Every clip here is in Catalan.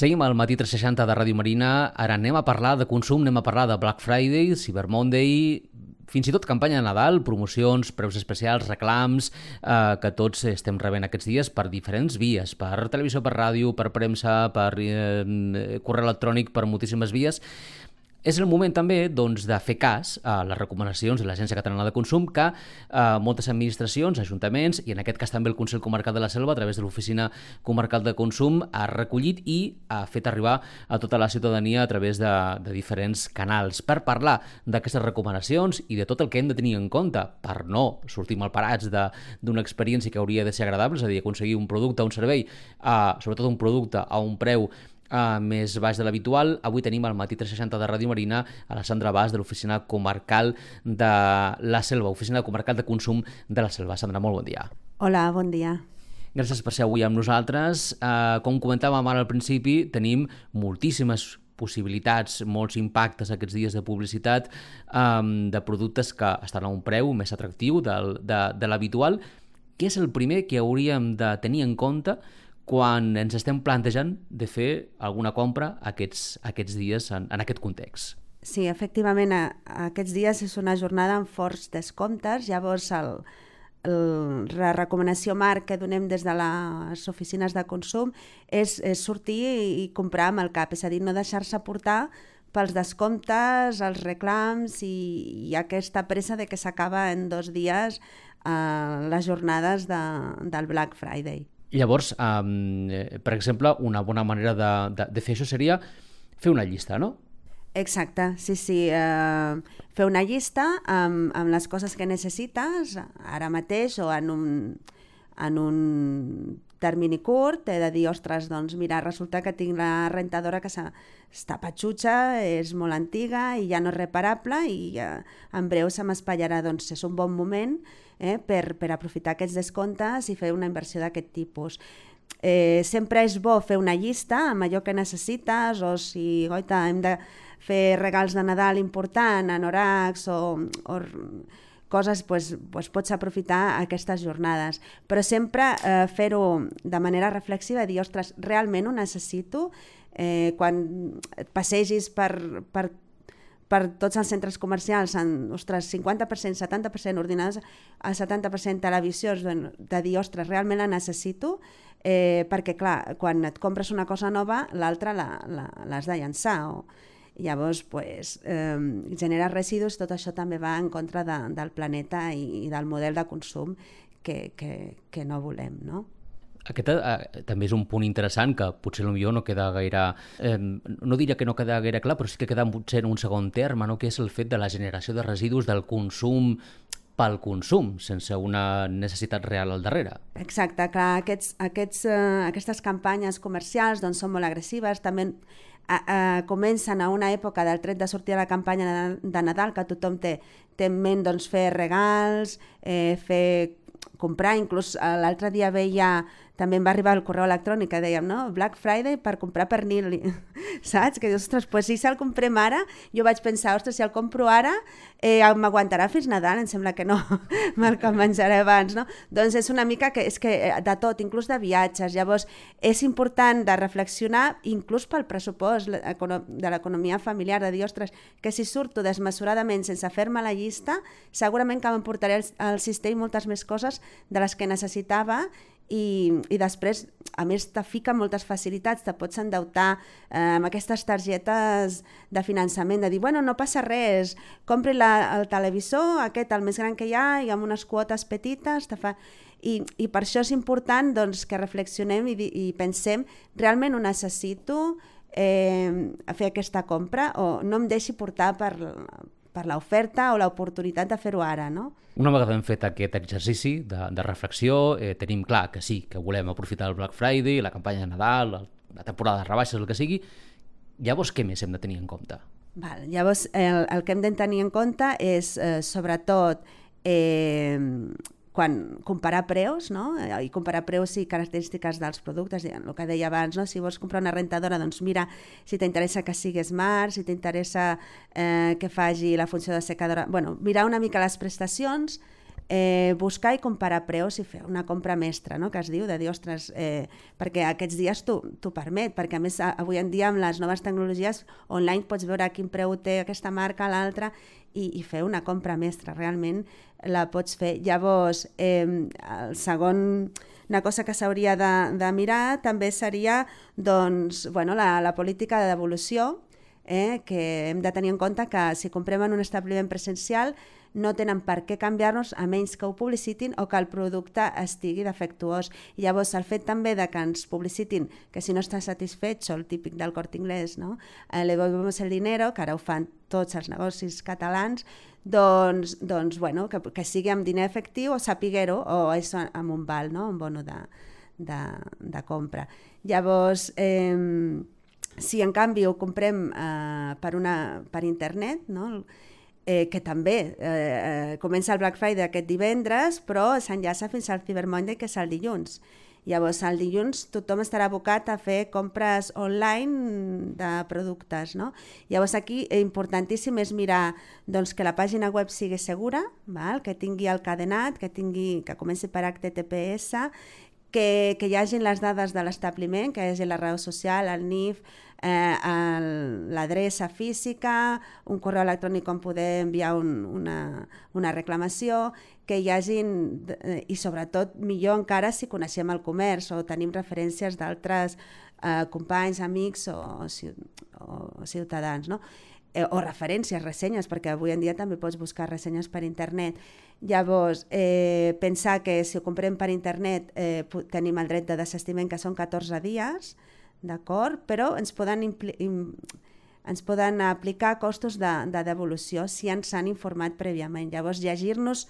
Seguim al Matí 360 de Ràdio Marina. Ara anem a parlar de consum, anem a parlar de Black Friday, Cyber Monday, fins i tot campanya de Nadal, promocions, preus especials, reclams, que tots estem rebent aquests dies per diferents vies, per televisió, per ràdio, per premsa, per correu electrònic, per moltíssimes vies. És el moment també doncs, de fer cas a les recomanacions de l'Agència Catalana de Consum que moltes administracions, ajuntaments i en aquest cas també el Consell Comarcal de la Selva a través de l'Oficina Comarcal de Consum ha recollit i ha fet arribar a tota la ciutadania a través de diferents canals per parlar d'aquestes recomanacions i de tot el que hem de tenir en compte per no sortir malparats d'una experiència que hauria de ser agradable, és a dir, aconseguir un producte, un servei, sobretot un producte a un preu més baix de l'habitual. Avui tenim al Matí 360 de Ràdio Marina a la Sandra Bas de l'Oficina Comarcal de la Selva, Oficina Comarcal de Consum de la Selva. Sandra, molt bon dia. Hola, bon dia. Gràcies per ser avui amb nosaltres. Com comentàvem ara al principi, tenim moltíssimes possibilitats, molts impactes aquests dies de publicitat de productes que estan a un preu més atractiu de l'habitual. Què és el primer que hauríem de tenir en compte quan ens estem plantejant de fer alguna compra aquests dies en aquest context? Sí, efectivament, aquests dies és una jornada amb forts descomptes. Llavors, la recomanació marc que donem des de les oficines de consum és sortir i comprar amb el cap, és a dir, no deixar-se portar pels descomptes, els reclams i aquesta pressa de que s'acaba en 2 dies les jornades del Black Friday. Llavors, per exemple, una bona manera de fer això seria fer una llista, no? Exacte, sí. Fer una llista amb les coses que necessites ara mateix o en un termini curt, he de dir, ostres, doncs mira, resulta que tinc la rentadora que està patxutxa, és molt antiga i ja no és reparable i en breu se m'espatllarà. Doncs és un bon moment per aprofitar aquests descomptes i fer una inversió d'aquest tipus. Sempre és bo fer una llista amb allò que necessites, o si hem de fer regals de Nadal important, anoraks o coses, doncs pots aprofitar aquestes jornades. Però sempre fer-ho de manera reflexiva, dir, ostres, realment ho necessito? Quan et passegis per tots els centres comercials, ostres, 50%, 70% ordinadors, a 70% televisions, de dir, ostres, realment la necessito? Perquè, clar, quan et compres una cosa nova, l'altra l'has de llançar. Llavors, genera residus, tot això també va en contra del planeta i del model de consum que no volem, no? Aquest també és un punt interessant que potser potser no queda gaire, no diria que no queda gaire clar, però sí que queda potser en un segon terme, no? Que és el fet de la generació de residus del consum pel consum, sense una necessitat real al darrere. Exacte, clar, aquestes campanyes comercials doncs, són molt agressives, també comencen a una època del tret de sortir a la campanya de Nadal, que tothom té en ment doncs, fer regals, comprar, inclús l'altre dia també em va arribar el correu electrònic que dèiem, no? Black Friday per comprar pernil, saps? Que dius, ostres, si el comprem ara, jo vaig pensar, ostres, si el compro ara, m'aguantarà fins Nadal, em sembla que no, me'l menjaré abans, no? Doncs és una mica que de tot, inclús de viatges, llavors és important de reflexionar, inclús pel pressupost de l'economia familiar, de dir, ostres, que si surto desmesuradament sense fer-me la llista, segurament que m'emportaré al cistell moltes més coses de les que necessitava i després, a més, te fica moltes facilitats, te pots endeutar amb aquestes targetes de finançament, de dir, bueno, no passa res, compri el televisor, el més gran que hi ha, i amb unes quotes petites, i per això és important doncs, que reflexionem i pensem, realment ho necessito fer aquesta compra o no em deixi portar per l'oferta o l'oportunitat de fer-ho ara, no? Una vegada hem fet aquest exercici de reflexió, tenim clar que sí, que volem aprofitar el Black Friday, la campanya de Nadal, la temporada de rebaixes, el que sigui. Llavors, què més hem de tenir en compte? Llavors, el que hem de tenir en compte és, sobretot, quan comparar preus, no? I comparar preus i característiques dels productes, el que deia abans, no? Si vols comprar una rentadora, doncs mira si t'interessa que sigui smart, si t'interessa que faci la funció de secadora, bueno, mirar una mica les prestacions buscar i comparar preus i fer una compra mestra, no? Que es diu, de dir, ostres, perquè aquests dies t'ho permet, perquè a més avui en dia amb les noves tecnologies online pots veure a quin preu té aquesta marca, l'altra, i fer una compra mestra, realment la pots fer. Llavors, el segon, una cosa que s'hauria de mirar també seria doncs, bueno, la política de devolució, que hem de tenir en compte que si comprem en un establiment presencial no tenen per què canviar-nos a menys que ho publicitin o que el producte estigui defectuós. I llavors el fet també de que ens publicitin que si no està satisfet, el típic del Corte Inglés, no? Le devolvemos el dinero, que ara ho fan tots els negocis catalans, doncs bueno, que sigui amb diner efectiu o sapiguer-ho, o és amb un val, no? Un bono de compra. Llavors, si en canvi ho comprem per internet, no? Que també comença el Black Friday aquest divendres, però s'enllaça fins al Cyber Monday, que és el dilluns. Llavors, el dilluns tothom estarà abocat a fer compres online de productes, no? Llavors, aquí importantíssim és mirar doncs, que la pàgina web sigui segura, val? Que tingui el cadenat, que comenci per HTTPS, que hi hagi les dades de l'establiment, que hi hagi la raó social, el NIF, l'adreça física, un correu electrònic on poder enviar una reclamació, que hi hagin, i sobretot millor encara si coneixem el comerç o tenim referències d'altres companys, amics o ciutadans, no? O referències, ressenyes, perquè avui en dia també pots buscar ressenyes per internet. Llavors, pensar que si ho comprem per internet tenim el dret de desistiment, que són 14 dies, d'acord? Però ens poden aplicar costos de devolució si ens han informat prèviament. Llavors, llegir-nos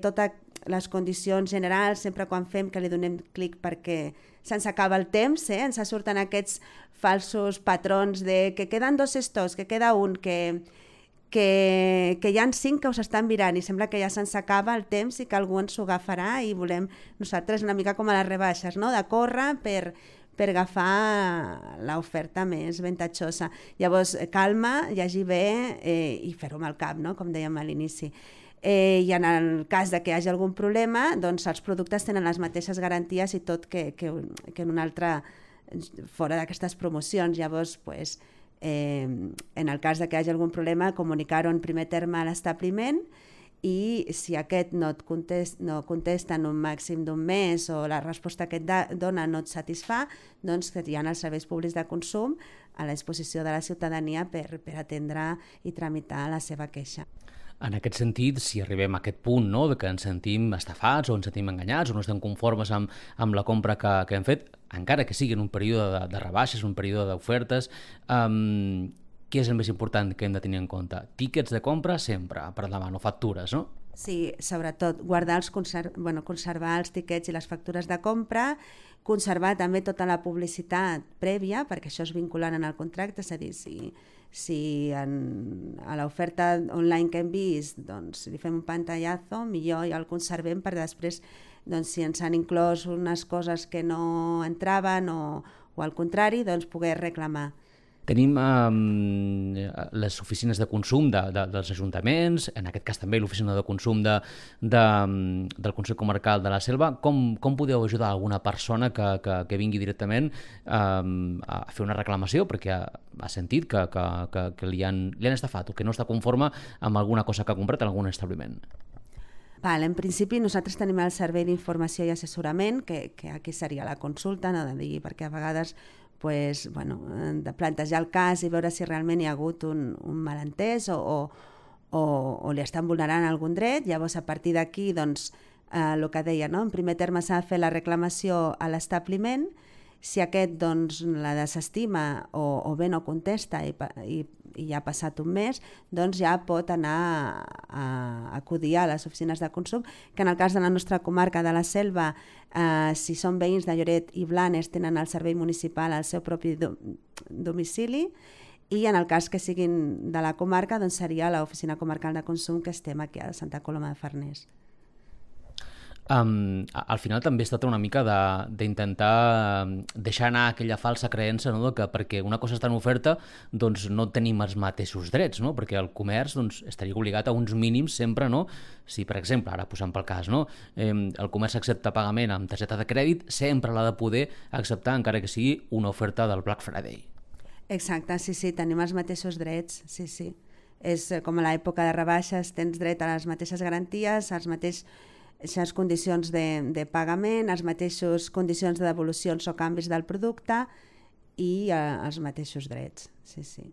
totes les condicions generals, sempre quan fem que li donem clic perquè se'ns acaba el temps, ens surten aquests falsos patrons de que queden 2 stocks, que queda un, que hi ha 5 que us estan mirant i sembla que ja se'ns acaba el temps i que algú ens ho agafarà i volem nosaltres una mica com a les rebaixes, no? De córrer per agafar l'oferta més avantatjosa. Llavors, calma, llegir bé i fer-ho amb el cap, no? Com dèiem a l'inici. I en el cas de que hi hagi algun problema, doncs els productes tenen les mateixes garanties i tot que en un altre, fora d'aquestes promocions. Llavors, en el cas de que hi hagi algun problema, comunicar-ho en primer terme a l'establiment, i si aquest no contesta en un màxim d'un mes o la resposta que et dona no et satisfà, doncs que hi ha els serveis públics de consum a la disposició de la ciutadania per atendre i tramitar la seva queixa. En aquest sentit, si arribem a aquest punt, no?, de que ens sentim estafats o ens sentim enganyats o no estem conformes amb la compra que hem fet, encara que sigui en un període de rebaixes, un període d'ofertes, què és el més important que hem de tenir en compte? Tíquets de compra sempre, per davant, o factures, no? Sí, sobretot conservar els tiquets i les factures de compra, conservar també tota la publicitat prèvia, perquè això és vinculant en el contracte, és a dir, si a l'oferta online que hem vist doncs, li fem un pantallazo, millor ja el conservem per després, doncs, si ens han inclòs unes coses que no entraven o al contrari, doncs poder reclamar. Tenim les oficines de consum dels ajuntaments, en aquest cas també l'oficina de consum del Consell Comarcal de la Selva. Com podeu ajudar alguna persona que vingui directament a fer una reclamació perquè ha sentit que li han estafat o que no està conforme amb alguna cosa que ha comprat en algun establiment? En principi nosaltres tenim el servei d'informació i assessorament, que aquí seria la consulta, no de dir, perquè a vegades de plantejar el cas i veure si realment hi ha hagut un malentès o li estan vulnerant algun dret. Llavors, a partir d'aquí, doncs, el que deia, no? En primer terme s'ha de fer la reclamació a l'establiment. Si aquest doncs, la desestima o bé no contesta i ja ha passat un mes, doncs ja pot anar a acudir a les oficines de consum, que en el cas de la nostra comarca de la Selva, si són veïns de Lloret i Blanes, tenen el servei municipal al seu propi domicili, i en el cas que siguin de la comarca, doncs seria l'oficina comarcal de consum, que estem aquí a Santa Coloma de Farners. Al final també es tracta una mica d'intentar deixar anar aquella falsa creença, no?, que perquè una cosa està en oferta doncs no tenim els mateixos drets, no?, perquè el comerç doncs, estaria obligat a uns mínims sempre, no? Si, per exemple, ara posant pel cas, no?, el comerç accepta pagament amb targeta de crèdit, sempre l'ha de poder acceptar encara que sigui una oferta del Black Friday. Exacte, sí, tenim els mateixos drets, sí. És com a l'època de rebaixes, tens dret a les mateixes garanties, als mateixes condicions de pagament, les mateixes condicions de devolucions o canvis del producte i els mateixos drets, sí.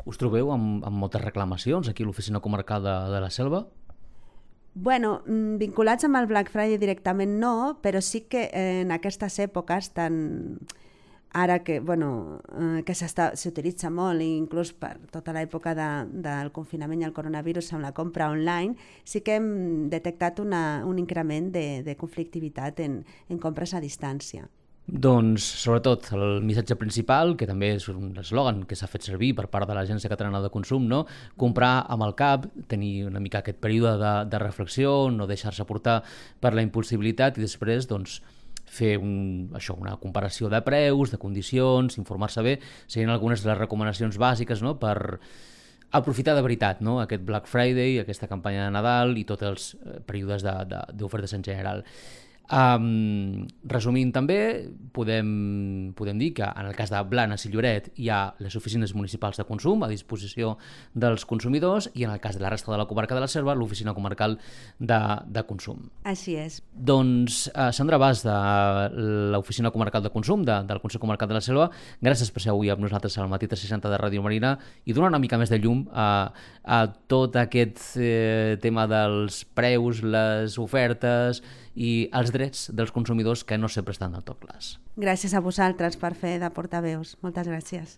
Us trobeu amb moltes reclamacions aquí a l'Oficina Comarcal de la Selva? Bueno, vinculats amb el Black Friday directament no, però sí que en aquestes èpoques ara que, que s'utilitza molt, inclús per tota l'època del confinament i el coronavirus amb la compra online, sí que hem detectat un increment de conflictivitat en compres a distància. Doncs, sobretot, el missatge principal, que també és un eslògan que s'ha fet servir per part de l'Agència Catalana de Consum, no? Comprar amb el cap, tenir una mica aquest període de reflexió, no deixar-se portar per la impulsibilitat i després, doncs, fer una comparació de preus, de condicions, informar-se bé, serien algunes de les recomanacions bàsiques, no?, per aprofitar de veritat, no?, aquest Black Friday, aquesta campanya de Nadal i tots els períodes d'ofertes en general. Resumint també, podem dir que en el cas de Blanes i Lloret hi ha les oficines municipals de consum a disposició dels consumidors i en el cas de la resta de la comarca de la Selva, l'oficina comarcal de consum. Així és. Doncs, Sandra Bas, de l'oficina comarcal de consum del Consell Comarcal de la Selva, gràcies per ser avui amb nosaltres al Matí 360 de Ràdio Marina i donar una mica més de llum a tot aquest tema dels preus, les ofertes i els drets dels consumidors que no sempre estan del tot clars. Gràcies a vosaltres per fer de portaveus. Moltes gràcies.